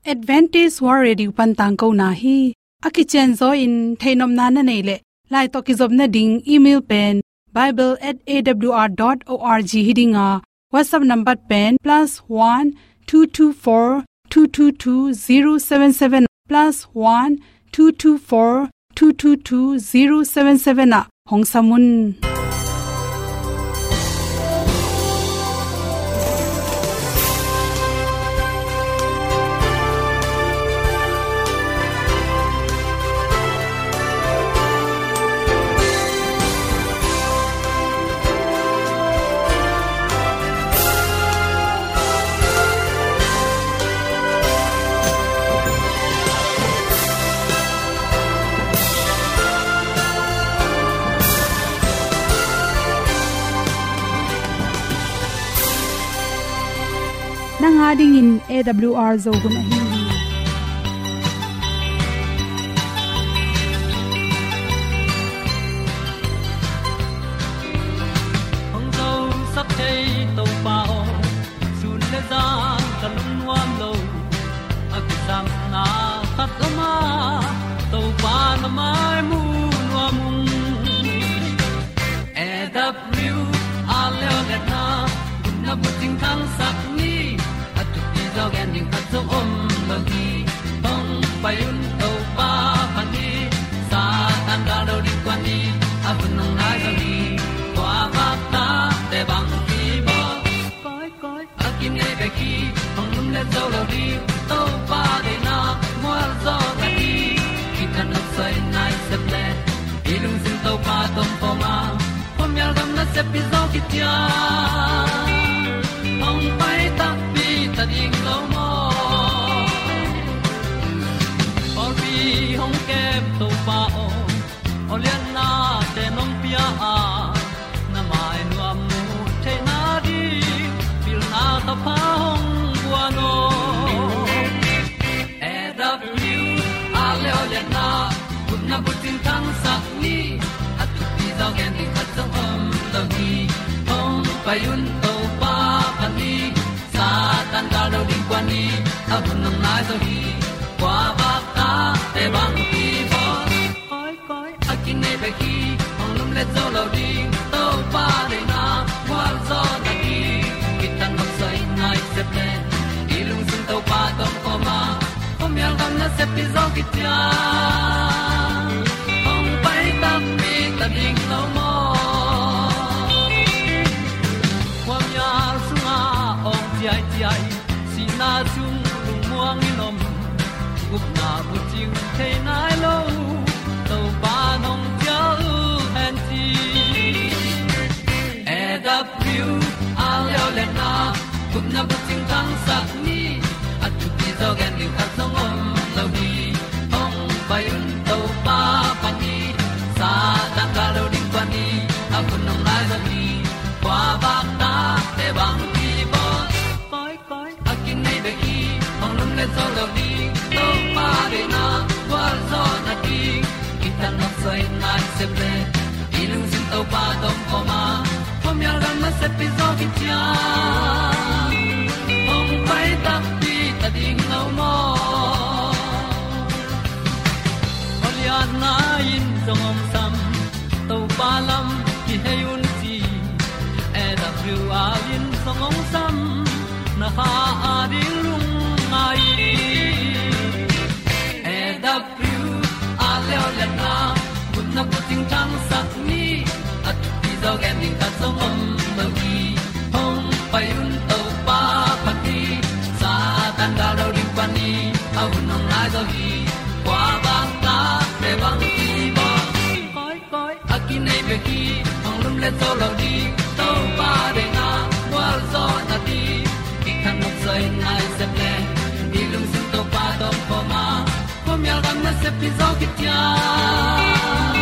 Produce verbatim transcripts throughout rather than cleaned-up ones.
Adventist World Radio pan tangkona hi. A kicianzaw in theihnopna na neih leh, lai tawh kizopna ding email pen bible at A W R dot org hi ding a, WhatsApp number pen plus one two two four two two two zero seven seven, plus one two two four two two two zero seven seven ah hong sam un. Nang a dingin A W R Zo hun ahi hi. Hong zosak thei Topa aw, sun le zan ka lungnuam lo. A kisapna khat om a, Topa na mai mu nuam ung. A W R Zo hun a bucing thangsak ni, a thupi zaw gen ding khat zong om lo hi. Hong pai un Topa phat ni, Satan gal lo ding kuan ni, a hun hong nai zo hi. Kua vak ta te bang hi baw. Koi, koi, a kinei bek hi, hong lum le zo lo ding, Topa deihna mual zaw na hi. Kithat nopsai nai sep le, i lungsim Topa tawh om a, khuamial gam nasep pi zaw kician, hong pai takpi ta ding lo maw. Pawlpi hong kem Topa aw, aw lianna te nong pia a, na mai nuam mu theihna ding, pilna ka pha hong guan aw. A W R Zo hun a bucing thangsak ni, a thupi zaw gen ding khat zong om lo hi. Hong pai un Topa phat ni, Satan gal lo ding kuan ni, a hun hong nai zo hi. Kua vak ta te bang hi baw. Koi, koi, a kinei bek hi, hong lum le zo lo ding, Topa deihna mual zaw na hi. Kithat nopsai nai sep le, i lungsim Topa tawh om a, khuamial gam nasep pi zaw kician, hong pai takpi ta ding lo maw. Khuamial sungah awng ciaiciai, sihna sung lungmuang in om, gupna bucing thei nai lo, Topa nong cial hen ci. A W R Zo hun a gupna bucing thangsak ni, a thupi zaw gen ding khat zong om lo hi. Hong pai un Topa phat ni, Satan gal lo ding kuan ni, a hun hong nai zo hi. Kua vak ta te bang hi baw. Koi, koi, a kinei bek hi, hong lum le zo lo ding, Topa deihna mual zaw na hi. Kithat nopsai nai sep le, i lungsim Topa tawh om a, khuamial gam nasep pi zaw kician, hong pai takpi ta ding lo maw. Aw lianna in zong hong sam, Topa lam kihei un ci. A W R in zong hong sam, na kha a ding lungngai. A W R Zo hun a gupna bucing thangsak ni, a thupi zaw gen ding khat zong om lo hi. Hong pai un Topa phat ni, Satan gal lo ding kuan ni, a hun hong nai zo hi. Kua vak ta te bang hi baw. Koi, koi, a kinei bek hi, hong lum le zo lo ding, Topa deihna mual zaw na hi. Kithat nopsai nai sep le, i lungsim Topa tawh om a, khuamial gam nasep pi zaw kician,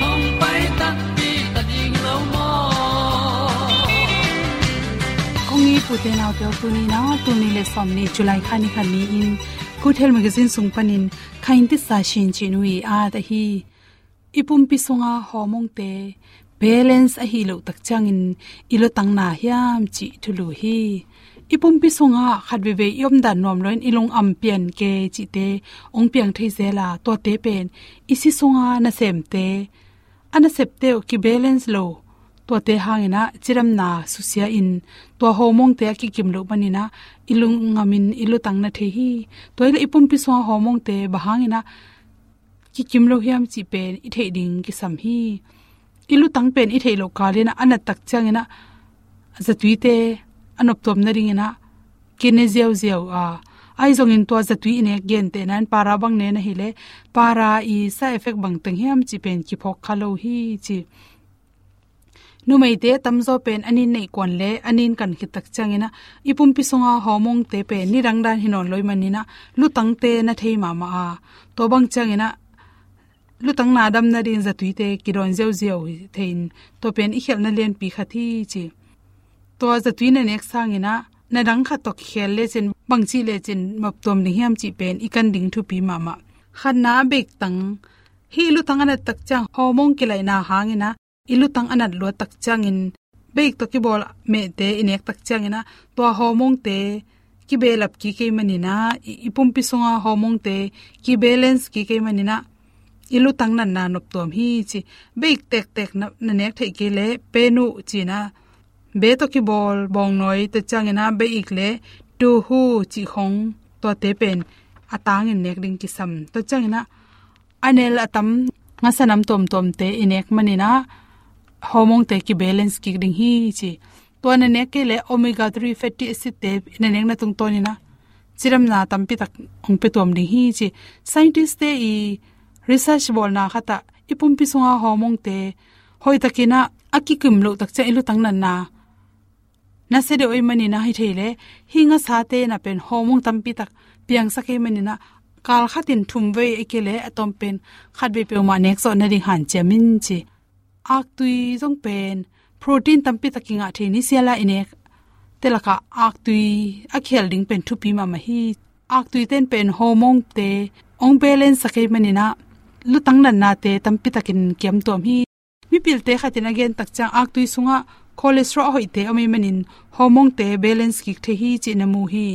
hong pai takpi ta ding lo maw. Kong it u te nau te aw, tuni na, tul nih le sawmnih July kha ni khat ni-in Good Health Magazine sung panin kha in tisa sin cih nu i at ahi. I pumpi sunga hormone te balance ahi loh tak ciangin i lutang na hiam cih thulu hi. I pumpi sungah khat veivei i omdan nuam loin i lungam pian kei cihte hong piang thei zel a, tuate pen i si sunga nasemte, a nasepte uh kibalance lo, tuate hangin ah cidamna susia in, tua hormone-te a kikim loh manin ah i lungam in i lutang na thei hi. Tua hi leh i pumpi sunga hormone-te bang hangin ah kikim lo hiam cih pen i theih ding kisam hi. I lutang pen i theih loh kalin ah a nat tak ciangin ah zatuite a noptuam nadingin ah kine ziauziau a, ahi zongin tua zatui i nek gentehna in para bang ne na hi leh para i side effect bang teng hiam cih pen kiphawk kha lo hi ci. Numeite tamzaw pen a nin neih kuan leh a nin kan khit tak ciangin ah i pumpi sunga hormone-te pen nidang dan hi nawn lo ahih manin ah lutangte na thei mahmah a, tua bang ciangin ah lutang na dam nading zatuite kidawn ziauziau hi thei in, tua pen i khialhna lianpi khat hi ci. Tua zatui na nek sangin ah na dang khat tawh kikhel lecin bangci lecin noptuam ding hiam cih pen i kan ding thupi mahmah. Khatna, beik tang. Hih lutang a nat tak ciang hormone kilaihna hangin ah i lutang a nat luat tak ciangin beik tawh kibawl mehte i nek tak ciangin ah tua hormone-te kibelap kik ahih manin ah i, i pumpi sunga hormone-te kibalance kik ahih manin ah i lutang natna noptuam hi ci. Beik tektek na, na nek theih kei leh pen uh ci-in ah be tawh kibawl bawngnawi, tua ciangin ah beik leh tuhu cih khong, tuate pen a tangin nek ding kisam. Tua ciangin ah a nel a tam ngasa nam tuamtuamte i nek manin ah hormone-te kibalance kik ding hi ci. Tua na nek kei leh omega three fatty acid-te na nekna tungtawnin ah cidamna tampi tak hong pia tuam ding hi ci. Scientist-te i research bawlna khat ah i pumpi sunga hormone-te hoihtakin ah a kikim loh tak ciang i lutang natna nasia deuh ahih manin ah hi thei leh hih ngasate in ah pen hormone tampi tak piangsak ahih manin ah kal khatin thum vei ahih kei leh a tawm pen khat vei peuhmah nek zawh nading hanciam in ci. Aktui zong pen protein tampi tak kingah thei ni, siala i nekte lakah aktui a kihel ding pen thupi mahmah hi. Aktuite in pen hormone-te hong balance sak ahih manin ah lutang natnate tampi takin kiam tuam hi. Mipilte khatin a gen tak ciang aktui sungah cholesterol a hoihte om ahih manin hormone-te balance kik thei hi cih na mu hi.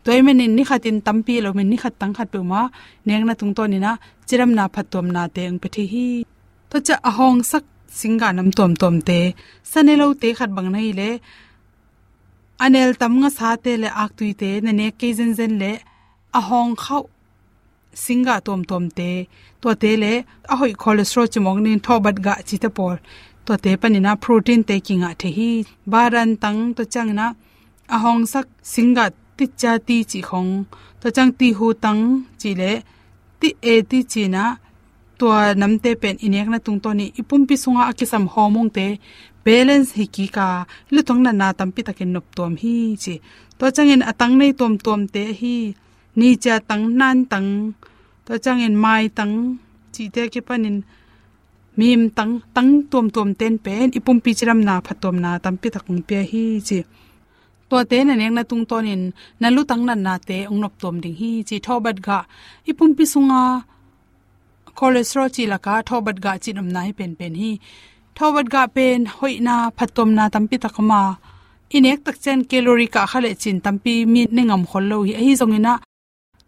Tua ahih manin ni khatin tampi lo min ni khat tang khat peuhmah nekna tungtawnin ah cidamna phattuamnate hong pia thei hi. Tua ciang a hawngsak singgah nam tuamtuamte, sa ne lote khat bang na hi leh a nel tam ngasate leh aktuite na nek kei zenzen leh a hawng khauh singgah tuamtuamte, tuate leh a hoih cholesterol cimawk nin thawhbat gah cite pawl, tuate panin ah protein-te kingah thei hi. Badan tang, tua ciangin ah a hawngsak singgah ticia ti cih khong, tua ciang tihu tang cih leh ti e ti ci-in ah tua namte pen i nekna tungtawnin i pumpi sungah a kisam hormone-te balance hi kik a, lutang natna tampi takin noptuam hi ci. Tua ciangin a tang nei tuamtuamte ahi nicia tang, nan tang, tua ciangin mai tang cihte a kipanin mim tang, tang tuamtuamte in pen i pumpi cidamna phattuamna tampi tak hong pia hi ci. Tuate na nekna tungtawnin na lutang natnate hong noptuam ding hi ci. Thawhbat gah, i pumpi sunga cholesterol cih lakah thawhbat gah cih omna hi penpen hi. Thawhbat gah pen hoihna phattuamna tampi tak om a, i nek tak ciang calorie kah kha lecin tampi mi ne ngam khol lo hi. Ahi zongin ah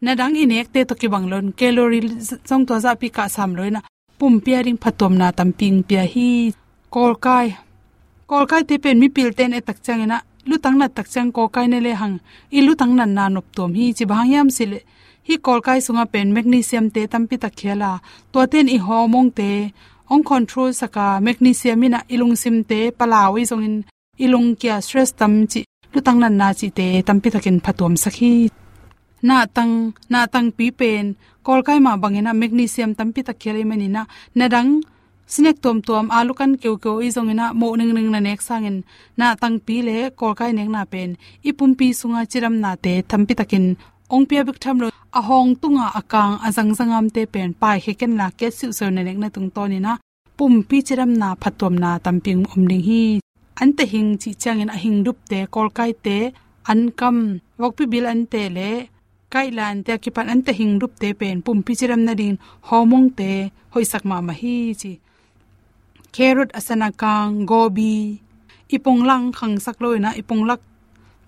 na dang i nekte tawh kibang loin calorie zong tua zahpi kah sam loin ah pumpi a ding phattuamna tampi hong pia hi. Kawlkai. Kawlkaite pen mipilte in et tak ciangin ah lutang nat tak ciang kawlkai ne lehang i lutang natna noptuam hi ci. Bang hang hiam cih leh hih kawlkai sungah pen magnesium-te tampi tak khial a, tuate in i hormone-te hong control sak a, magnesium in ah i lungsimte palau, ahi zongin i lungkia, stress tam cih, lutang natna cihte tampi takin phattuamsak hi. Nahtang, nahtangpi pen kawlkai mah bangin ah magnesium tampi tak khial ahih manin ah na dang snack tuamtuam, alu kan keukeu, ahi zongin ah moh ningning na nek sangin nahtangpi leh kawlkai nekna pen i pumpi sunga cidamnate tampi takin hong pia bek tham lo, a hawng tunga a kang a zangzangamte pen paikhia ken la, kiat siuhsiuh na nekna tungtawnin ah pumpi cidamna phattuamna tampi om ding hi. Anteh hing cih ciangin a hingdupte, kawlkaite, ankam, vokpi bil anteh leh kaihla anteh a kipan anteh hingdupte pen pumpi cidam nadingin hormone-te hoihsak mahmah hi ci. Carrot, a san a kang, gobi, i punglang khangsak loin ah i punglak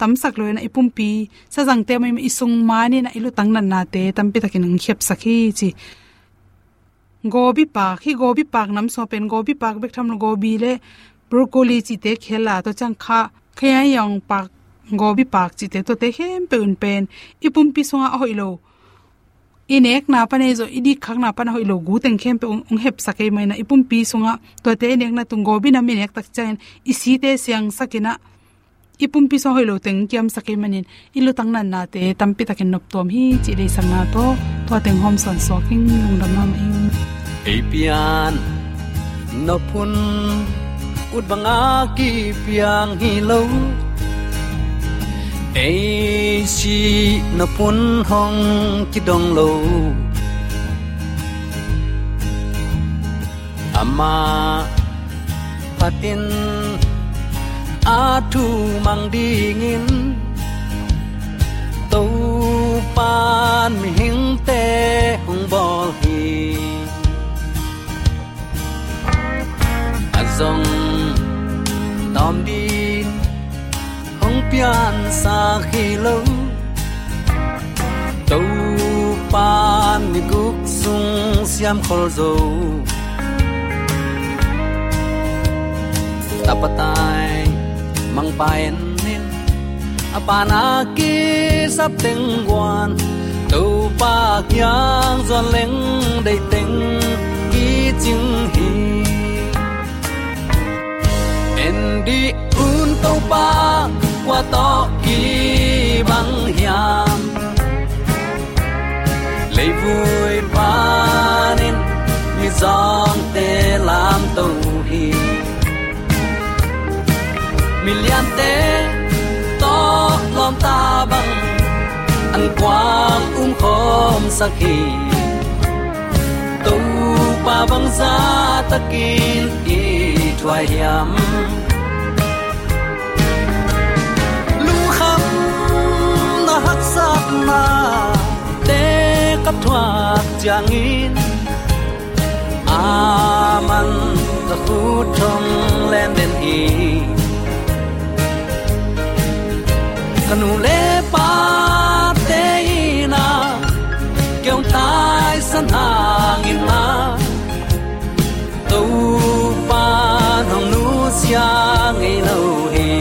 tamsak lo in ah i pumpi sazangte mahmah i sung man in ah i lutang natnate tampi takin hong khepsak hi ci. Gobi paak, hih gobi paak nam sung ah pen gobi paak bek tham lo, gobi le broccoli cihte khel a, tua ciang kha, kha yai yong paak, gobi paak cihte, tuate khempeuh in pen i pumpi sungah a hoih lo, i nekna pan ahi zong i dikkhakna pan a hoih lo gu teng khempeuh hong, hong hepsak ahih manin ah i pumpi sungah tuate i nekna tung, gobi nam i nek tak ciangin i site siangsak in ah i pumpi sungah hoih lo teng kiamsak ahih manin i lutang natnate tampi takin noptuam hi cih deihsakna tawh tua teng hawm sawnsuak ing. Lungdam mahmah ing. Ei pian nop hun ut banga kipiang hi lo, ei sih nop hun hong kidong lo. Amah phatin a thu mang dingin Topan mihingte hong bawl hi. A zong tawm ding hong piansak hi lo, Topan ni guk sung siam khol zo. Tapa tai mangpa en in, a pan a kisap teng guan, Topa kiang zuan leng deih teng kicing hi. En dih un Topa kua tawh kibang hiam? Leivui panin mizawngte lamto hi. Miliante tawh lawmta bang an kuang umkhawmsak hi. Topa bangzah takin i thuai hiam? Lungkhamna haksatnate ka thuak ciangin, aman ka khut hong len den hi. Ka nu le pate in ah kei hong taisan hangin ah, Topa nong nusia ngei lo hi.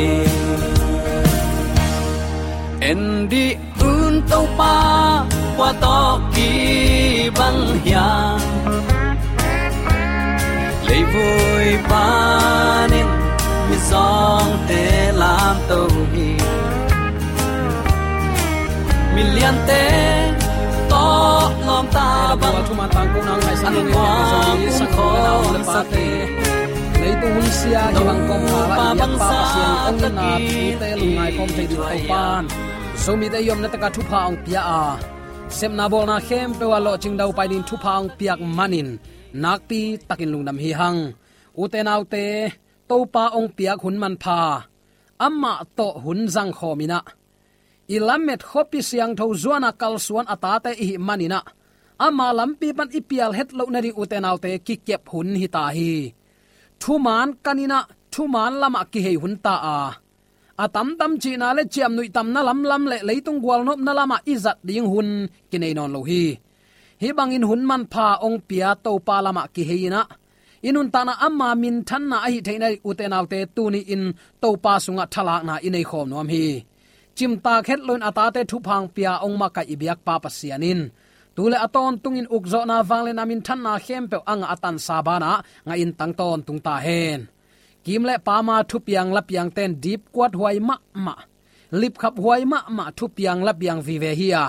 En dih un Topa kua tawh kibang hiam? Leivui panin mizawngte lamto hi. Miliante tawh lawmta bang thuman tangkona ngaihsan an kuang umkhawmsak hi. Leitung hun sia kibang kawmkal ah i biakpa Pasian hong itna thute lungngai khawm thei ding Topan Zomite i omna takah thupha hong pia a, sepna bawlna khempeuh ah lawhcing daupai ding thupha hong piak manin nakpi takin lungdam hi hang. Ute naute, Topa hong piak hun manpha, amah tawh hun zangkhawm in ah, i lamet khuapi siangtho zuan a kalsuan a tate i hih manin ah, ama lampi pan i pial het loh nading ute naute kikep hun hi ta hi. Thuman kan in ah, thuman lamah kihei hun ta a, a tamtam cihna le ciamnuih tamna lamlam le leitung gualnopna lamah i zat ding hun kinei nawn lo hi. Hih bangin hun manpha hong pia Topa lamah kihei in ah, i nuntakna ama minthanna ahi theihna ding ute naute tuni-in Topa sungah thalakna i nei khawm nuam hi. Cimtak het loin a tate thupha hong pia hong makaih i biakpa Pasian in tu le a tawntungin ukzawhna vangliatna minthanna khempeuh a ngah a tansa banah ngahin tang tawntung ta hen. Kim le pama thupiang lapiangte in dipkuat huai mahmah, lipkhap huai mahmah thupiang lapiang vive hi a,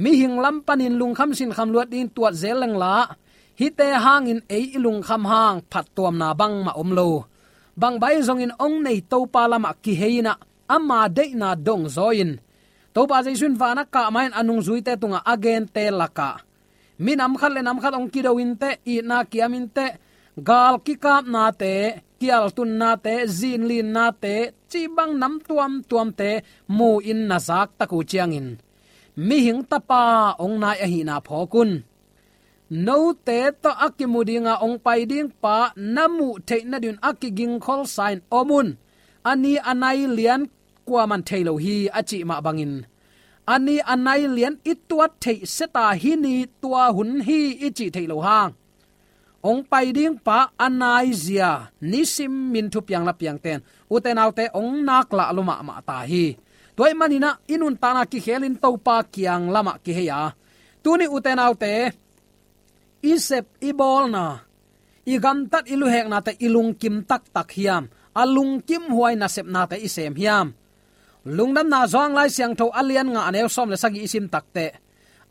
mihing lam panin lungkham sinkham luat dingin tuat zel lengla, hihte hangin ei i lungkham hang phattuamna bangmah om lo. Bangbai zongin hong nei Topa lamah kihei in ah, ama deihna dongzaw in, Topa Jesu in van a kah ma-in a nungzuite tungah a gente lakah minam khat le nam khat hong kido inteh, itna kiam inteh, gal kikapnate, kialtunnate, zinlinnate, cih bang nam tuamtuamte mu-in na zaktak uh ciangin, mihing tapa hong nai ahihna phawk un. Note tawh a kimu dinga hong pai ding pa na muh theih nadingun a kigingkholsa-in om un. A ni a nai lian kuaman thei lo hi a cih mah bangin, a ni a nai lian i tuat theih seta hih ni tua hun hi i cih theih lo hang, hong pai ding pa a naizia nisimin thupiang lapiangte'n, ute naute, hong nak lah lua mahmah ta hi. Tua ahih manin ah i nuntakna kikhelin Topa kiang lamah kihei a, tuni, ute naute, i sep i bawlna, i gamtat i luheknate i lungkim taktak hiam? A lungkimhuai nasepnate i sem hiam? Lungdamna Johan Lai Siangtho a lian nga a neu sawm le sagih i sim takteh,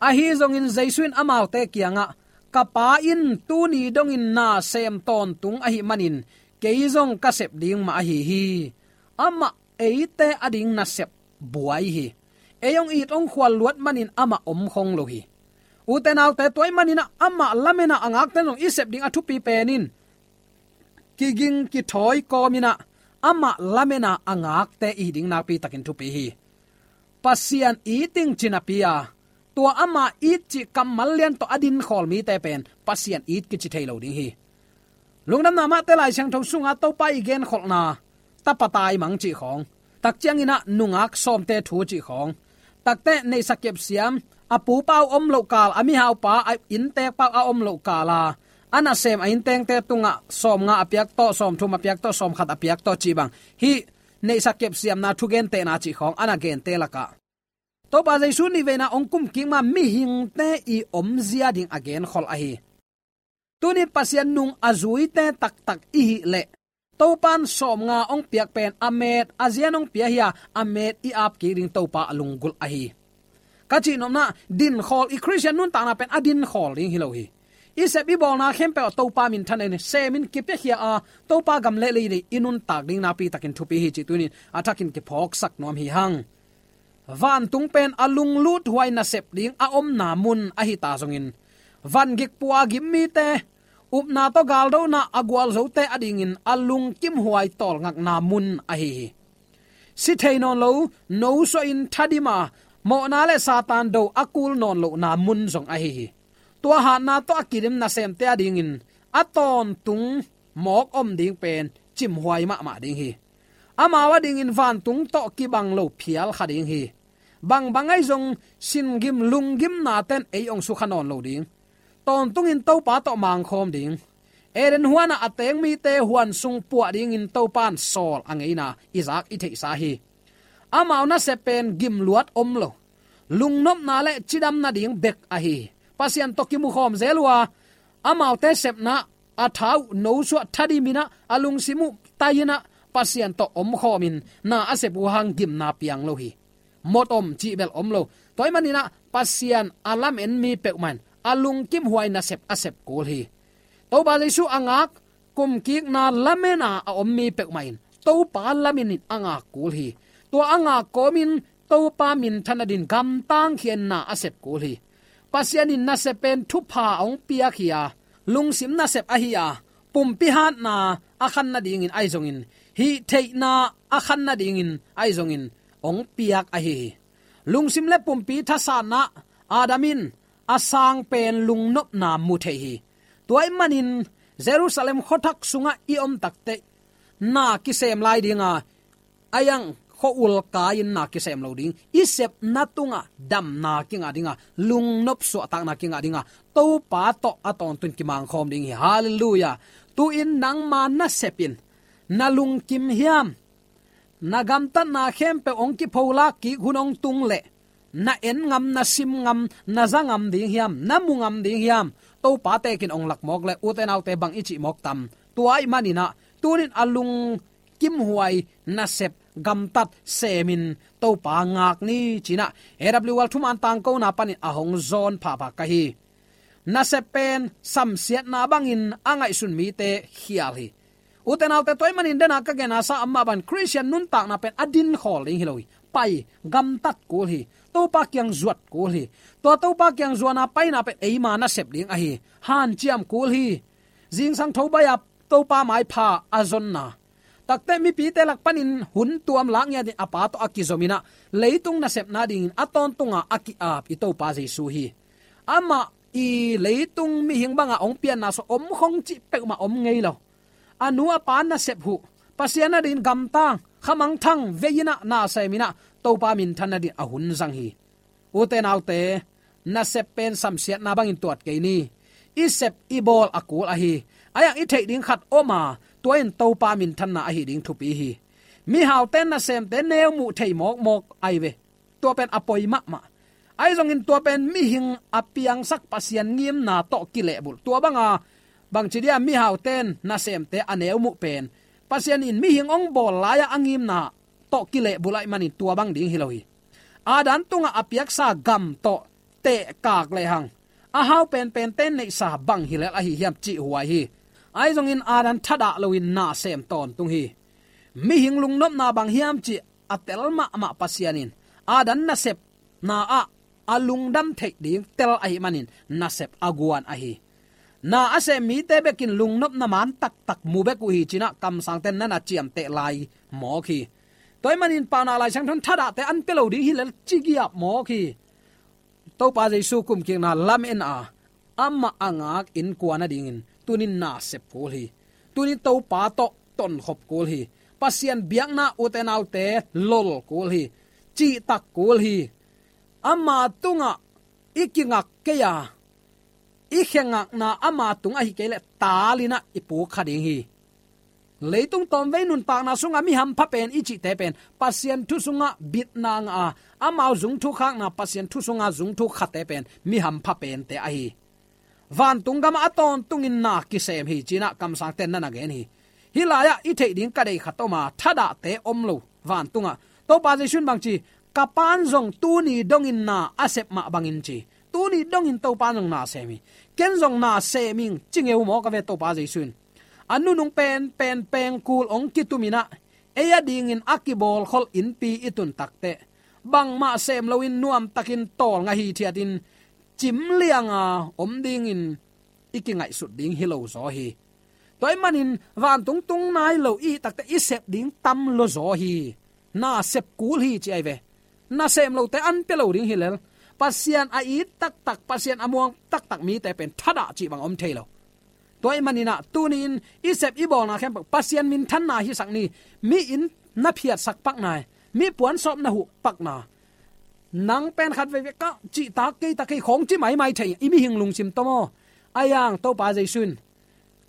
ahi zongin Jesu in amaute kiangah, "Ka Pa in tuni dongin na sem tawntung ahih manin kei zong ka sep ding mah ahi hi." Amah eite ading nasep buai hi. Ei hong it hong khual luat manin amah om khong lo hi. Ute naute, tua ahih manin ah amah lamen a a ngakte zong i sep ding a thupi pen in, kiging kithawi kawmin ah amah lamen a a ngakte i hi ding nakpi takin thupi hi. Pasian it ding ci napi a, tua ama it cih kammal lian tawh a dinkhawl mite pen Pasian it kici thei lo ding hi. Lungdamna mahte, Lai Siangtho sunga Topa i genkholhna, tapa taimang cih khawng, tak ciangin ah nungak sawmte thu cih khawng, takteh neihsa kepsiam, a pupa uh om loh kal, a mihaupa, a inntekpa uh a om loh kal a, a nasem a inntengte tungah sawmnga a piak tawh, sawmthum a piak tawh, sawmkhat a piak tawh cih bang, hih neihsa kepsiamna thugentehna cih khawng a na gente lakah, Topa Jesu nihveina hong kumkik ma mihingte i omzia ding a genkhol ahi. Tuni Pasian nung a zuite taktak i hih leh, Topa'n sawmnga hong piak pen a met a zian hong pia hi a, a met i apkik ding Topa a lunggulh ahi. Ka cihnopna, dinkhawl, i Khristian nuntakna pen a dinkhawl ding hi lo hi. I sep i bawlna khempeuh ah Topa minthan in semin kipiakhia a, Topa gam le lei i nuntak ding nakpi takin thupi hi cih tuni-in a thakin kiphawksak nuam hi hang. Vantung pen a lungluthuai nasep ding a omna mun ahi ta zongin, vangik pua a gim mite, upna tawh galdona a gualzote adingin a lungkimhuai tawlngakna mun ahi hi. Si thei nawn lo, nosuahin thadim a, mawhna le Satan do a kul nawn lohna mun zong ahi hi. Tua hatna tawh a kidim nasemte adingin a tawntung mawk om ding pen cimhuai mahmah ding hi. Amau adingin vantung tawh kibang lo phial kha ding hi. Bangbang ahi zong singim lunggimnate'n ei hong sukha nawn lo ding. Tawntungin Topa tawh mangkhawm ding. Eden huanah a teng mite huan sung puah dingin Topa'n sawl a ngeina i zak i theihsa hi. Amau nasep pen gimluat om lo, lungnopna le cidam nading bek ahi hi. Pasian tawh kimukhawm zel uh a, amaute sepna a tha uh nosuah thadim in ah, a lungsim uh tai in ah, Pasian tawh omkhawmin na a sep uh hang gimna piang lo hi. Mawt om cih bel om lo. Tua ahih manin ah Pasian a lamen mi peuhmah in a lungkimhuai nasep a sep kul hi. Topa Jesu a ngak, kumkikna lamen a a om mi peuhmah in Topa lamen in a ngak kul hi. Tua a ngak kawmin Topa minthan nadin gamtang khiatna a sep kul hi. Pasian in nasep pen thupha a hong piak hi a, lungsim nasep ahi a, pumpi hatna a khan nadingin ahi zongin, hih theihna a khan nadingin ahi zongin hong piak ahi hi. Lungsim le pumpi thasatna, Adam in a sang pen lungnopna mu thei hi. Tua ahih manin Jerusalem khuathak sungah i om takteh, na kisem lai ding a, a yang khua-ul kai-in na kisem lo ding. I sepna tungah damna kingah ding a, lungnop suahtakna kingah ding a, Topa tawh a tawntungin kimangkhawm ding hi. Halleluiah. Tu-in nangma nasep in na lungkim hiam? Na gamtatna khempeuh hong kipholak kik hun hong tung leh, na en ngam, na sim ngam, na za ngam ding hiam? Na mu ngam ding hiam? Topa tekin hong lak mawk leh, ute naute, bang i cih mawk tam? Tua ahih manin ah, tu-in a lungkimhuai nasep gamtat semin Topa ngak ni, ci-in ah A W R thuman tangkona panin a hong zawn phapha ka hi. Nasep pen samsiatna bangin a ngaihsun mite khial hi. Ute naute, tua ahih manin dena ka gensa a mah bang, Khristian nuntakna pen a dinkhawl ding hi lo hi. Pai, gamtat kul hi. Topa kiang zuat kul hi. Tua Topa kiang zuatna paina pen eima nasep ding ahi. Hanciam kul hi. Zingsang tho baih a Topa maipha a zonna, takteh mipite lak panin hun tuam lak ngiatin a Pa tawh a kizom in ah, leitung nasepna dingin a tawntunga a ki-ap i Topa Jesu hi. Amah i leitung mihing banga hong pianna sung om khong cih peuhmah om ngei lo. A nu a pa nasep huh, Pasian adingin gamtang, khamangthang vei-in ah, na sem-in ah, Topa minthanna dingin a hun zang hi. Ute naute, nasep pen samsiatna bangin tuat kei ni. I sep i bawl a kul ahi. A yang i theih ding khat om a, tua in Topa minthanna ahi ding thupi hi. Mihaute nasemte neu muh thei mawkmawk ahi ve. Tua pen a poi mahmah. Ahi zongin tua pen mihing a piangsak Pasian ngimna tawh kilehbulh. Tua banga, bangci dia mihaute nasemte a neu muh pen, Pasian in mihing hong bawl lai-a a ngimna tawh kilehbulh ahih manin tua bang ding hi lo hi. Adam tungah a piaksa gam tawh tehkak lehang, a hau penpente neihsa bang hi lel ahi hiam cih huai hi. Ahi zongin Adam thadah loin na sem tawntung hi. Mihing lungnopna bang hiam cih a tel mahmah Pasian in Adam nasepna ah a lungdam theih ding tel ahih manin nasep a guan ahi. Na a sem mite bekin lungnopna man taktak mu bek uh hi ci-in ah kamsangte'n na na ciamteh lai mawk hi. Tua ahih manin Paunak Lai Siangtho in thadahte an pia lo ding hi lel ci giap mawk hi. Topa Jesu kumkikna lamen a, amah a ngak innkuan adingin tuni-in na sep kul hi. Tuni-in Topa tawh tonkhop kul hi. Pasian biakna, ute naute, lol kul hi. Cihtak kul hi. Ama tungah i kingak kei a, i khe ngakna ama tung ahi kei leh tal-in ah i puk kha ding hi. Leitung tawmvei nuntakna sungah mi hampha pen i cihte pen Pasian thu sungah bitna ngah a, amau zungthuk khakna, Pasian thu sungah zungthuk khate pen mi hampha pente ahi. Vantung gamah a tawntungin na kisem hi ci-in ah kamsangte'n na na gen hi. Hih lai-ah i theih ding ka deih khat om a, thadahte om lo vantungah. Topa Jesu in bangci, ka Pa'n zong tuni dongin na a sep mah bangin ci. Tuni dongin Topa'n zong na sem hi. Ken zong na sem ing ci ngeu mawk a ve Topa Jesu in. A nunung penpen pengkul hong kitumin ah, ei adingin a kibawlkholh innpi i tun takteh, bangmah sem loin nuamtakin tawlnga hithiatin cim lianga om dingin i kingaihsut ding hi lo zaw hi. Tua ahih manin vantung tung nai lo i hih takteh i sep ding tam lua zaw hi. Na sep kul hi ci ahi ve. Na sem lote an pia lo ding hi lel. Pasian a it taktak, Pasian a muang taktak mite pen thadah cih bang om thei lo. Tua ahih manin ah tuni-in i sep i bawlna khempeuh Pasian minthanna hisak ni. Mi inn na phiatsak pakna, mi puansawp na huh pakna, nang pen khat veivei ka cihtak kei ta kei khawng ci maimai thei, i mihing lungsim tawm aw. A yang Topa Jesu in,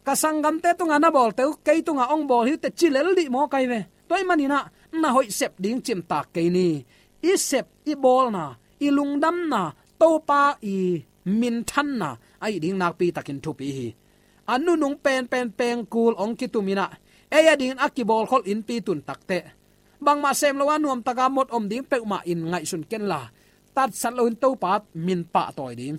ka sanggamte tungah na bawlte uh kei tungah hong bawl hi uh teh ci lel dih mawk ahi ve. Tua ahih manin ah na hoih sep ding cimtak kei ni. I sep i bawlna, i lungdamna, Topa i minthanna ahih ding nakpitakin thupi hi. A nunung penpen pengkul hong kitumin ah, ei adingin a kibawlkholh innpi tun takteh, bangmah sem lo a nuamtaka mot om ding peuhmah in ngaihsun kenla, tatsat loin Topa min pahtawi ding.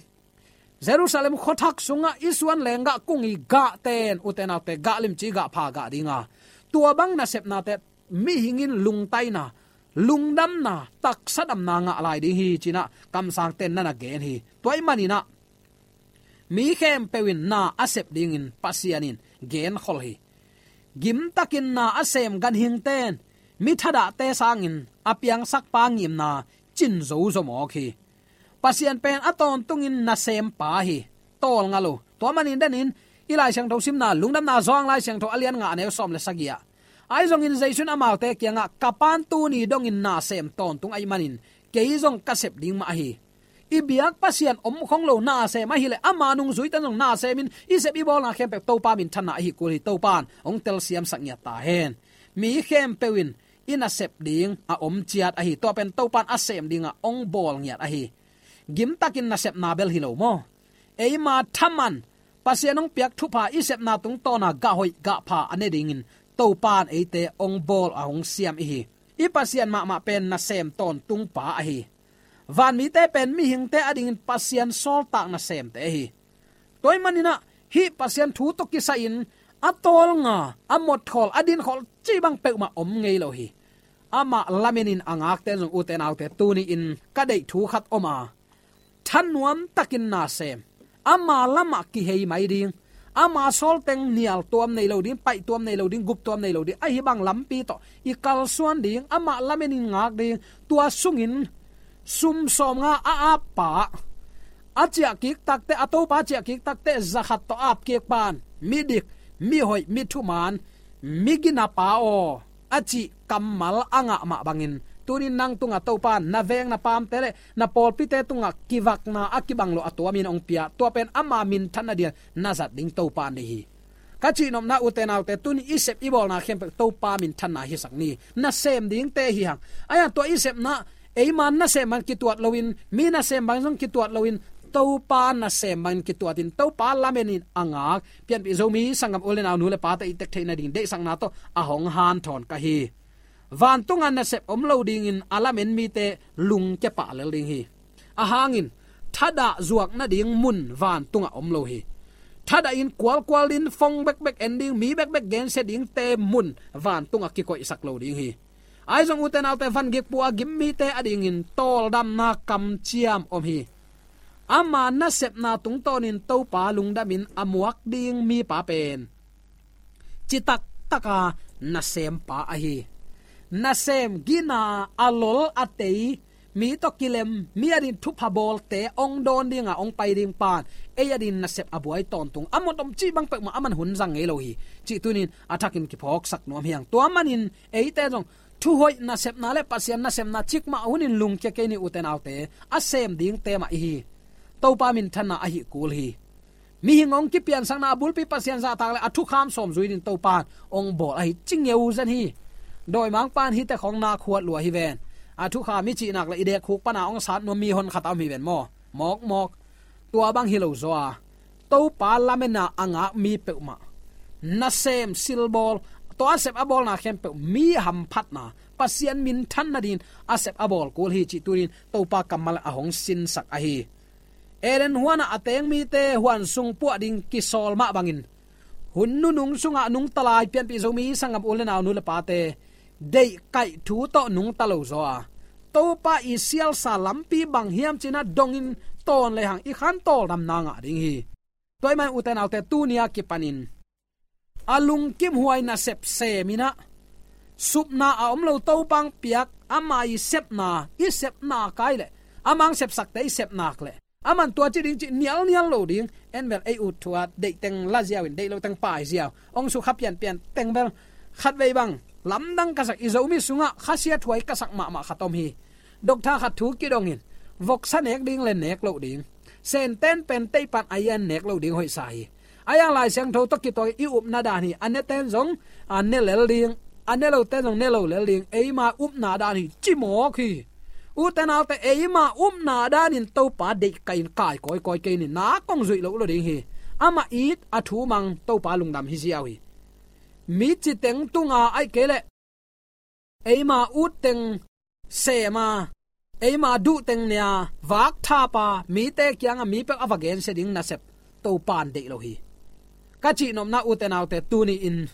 Jerusalem khuathak sungah i suan lenggah kung i gahte in, ute naute, gah limci gah pha gah dinga, tua bang nasepnate mihing in lungtaina, lungdamna, taksa damna ngah lai ding hi ci-in ah kamsangte'n na na gen hi. Tua ahih manin ah mi khempeuh in na a sep dingin Pasian in genkhol hi. Gimtakin na a sem ganhingte in mi thadahte sangin a piangsakpa ngimna cin zozo mawk hi. Pasian pen a tawntungin nasempa hi. Tawlnga lo. Tua manin denin i Lai Siangtho simna, Lungdamna Johan Lai Siangtho a lian nga, a neu sawm le sagih ah, ahi zongin Jesu in amaute kiangah, ka Pa'n tuni dongin na sem tawntung ahih manin kei zong ka sep ding mah ahi. I biak Pasian om khong lo, na sem ahih leh ama nungzuite zong na semin i sep i bawlna khempeuh Topa minthanna ahi kul hi. Topa'n hong telsiamsak ngiat ta hen. Mi khempeuh in i nasep ding a om ciat ahi. Tua pen Topa'n a sem dinga hong bawl ngiat ahi. Gimtakin nasepna bel hi lo maw? Eima thaman, Pasian hong piak thupha i sepna tungtawna gah hoih gah pha a ne dingin Topa'n eite hong bawl a hong siam i hi. I Pasian mahmah pen nasem tawntungpa ahi. Vanmite pen mihingte adingin Pasian sawltak nasemte ahi. Tua ahih manin ah hih Pasian thu tawh kisai-in a tawlnga, a motkhawl, a dinkhawl cih bang peuhmah om ngei lo hi. Amah lamenin a ngakte zong, ute naute, tuni-in ka deih thu khat om a, thanuamtakin na sem. Ama lamah kihei mai ding, ama sawlteng nial tuam nei lo ding, paih tuam nei lo ding, gup tuam nei lo ding, ahi bang lampi tawh i kalsuan ding, amah lamenin ngak ding. Tua sungin sum sawmnga a appa, a ciahkik takteh, a topa ciahkik takteh, za khat tawh apkik pan, midik, mihoih, mithuman, miginapa aw, a cih kammal a ngah mah bangin, tunin nang tungah Topa in na veng na paamte le na pawlpite tungah kivakna a kibang lo a tuamin hong pia, tua pen ama minthanna dingin na zat ding Topa in deih hi. Ka cihnopna ute naute, tuni i sep i bawlna khempeuh Topa minthanna hisak ni. Nasem dingte hi hang. Ahi hang tua i sepna, eima nasem bangin kituat loin, mi nasem bangin zong kituat loin, Topa nasem bangin kituatin, Topa lamenin a ngak Pianpih Zomi sanggam u le nau, nu le pate i tek theih nading deihsakna tawh a hong hanthawn ka hi. Vantunga nasep om lo dingin a lamen mite lungkia pah lel ding hi. A hangin thadah zuak nading mun vantungah om lo hi. Thadah in kualkual din, fong bekbek en ding, mi bekbek gensia dingte mun vantungah kikoihsak lo ding hi. Ahi zong ute naute, van gikpua a gim mite adingin tawldamna kamciam om hi. Ama nasepna tungtawnin Topa lungdamin a muak ding mipa pen citak taka nasempa ahi. Nasem, gina, a lol, a tei, mi tawh kilem, mi adin thupha bawlte hong dawn dinga hong pai ding pan, ei adin nasep a buai tawntung, a motom cih bang peuhmah aman hun zang ngei lo hi. Cih tunin a thakin kiphawksak nuam hi hang. Tua manin eite zong thuhoih nasepna le Pasian nasepna cikmah hunin lungkia kei ni ute naute, a sem dingte mah i hi. Topa minthanna ahi kul hi. Mihing hong kipiansakna a bulpi Pasian zahtak le a thukham sawm zui din Topa in hong bawl ahi, ci ngeu zen hi. Dawimangpa in hihte khawng nak huat lua hi ven. A thukham i cih nak le i deek khuk pana hong sat nuam mi honkhat a om hi ven maw? Mawkmawk. Tua bang hi lo zaw a, Topa lamena a ngak mi peuhmah nasem silbawl, tua a sep a bawlna khempeuh mi hamphatna, Pasian minthanna dingin a sep a bawl kul hi, cih tunin Topa kammal a hong sinsak ahi. Eden huanah a teng mite huan sung puah ding kisawl mah bangin, hun nunung sungah nungta lai Pianpih Zomi sanggam u le nau, nu le pate, deihkaih thu tawh nungta lo zaw a, Topa i sialsa lampi bang hiam cih na dongin tawn lehang i khan tawldamna ngah ding hi. Tua ahih manin ute naute, tuni a kipanin a lungkimhuai nasep sem in ah, supna a om lo Topa hong piak ama i sepna, i sepna kai leh, ama hong sepsakte i sepna leh, aman tua ci ding cih nialnial lo ding. En bel ei ut thu a, deih teng la ziau in, deih lo teng pai ziau, hong sukha pianpian teng bel, khatvei bang lamdang ka sak, i Zomi sungah khasiathuai ka sak mahmah khat om hi. Doctor khat thu kidongin, voksa nek ding le nek loh ding, senten pen teihpan a ian nek loh ding hoihsa hi. A iang Lai Siangtho tawh kituak i upna dan hi. A neten zong a ne lel ding, a ne loten zong ne lo lel ding. Eima upna dan hi, ci mawk hi. Ute naute, eima upna danin Topa deihkaih in kai kawikawi kei ni, na kong zuih loh lo ding hi. Amah it, a thu mang, Topa lungdam hi ziau hi. Mi ci teng tunga ahih kei leh eima ut teng sem a, eima duh teng ne a, vak thap a, mite kiangah mi peuh a va gensia ding nasep Topa in deih lo hi. Ka cihnopna ute naute, tuni in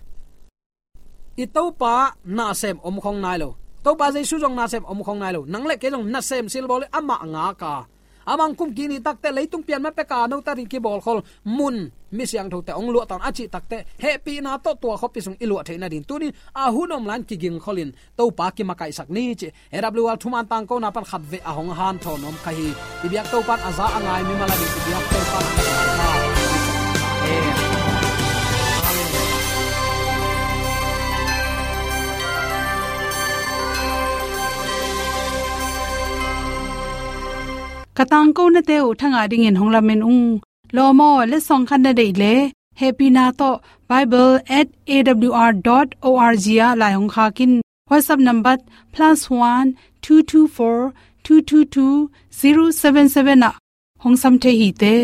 i Topa nasem om khong nai lo, Topa Jesu zong nasem om khong nai lo, nang le kei zong nasem silbawl in amah ngak a, amah hong kum kik ni takteh, leitung pian ma pek a no ta ding kibawlkhol mun, mi siangthote hong luah tawn a cih takteh, hehpihna tawh tua khuapi sung i luah theih nading tunin a hun om lai-in kigingkholin Topa kimakaihsak ni cih A W R thuman tangkona pan khatvei a hong hanthawn nuam ka hi. I biak Topa in a za a ngai mimal a ding, i biak Topa in a za a ngai. Ka tangkonate uh thangah dingin hong lamen ung. Lawm aw, letsong khat na deih leh, hehpihna tawh bible at A W R dot O R G ah lai hong khak in. WhatsApp number plus one two two four two two two zero seven seven ah hong sam thei hi te.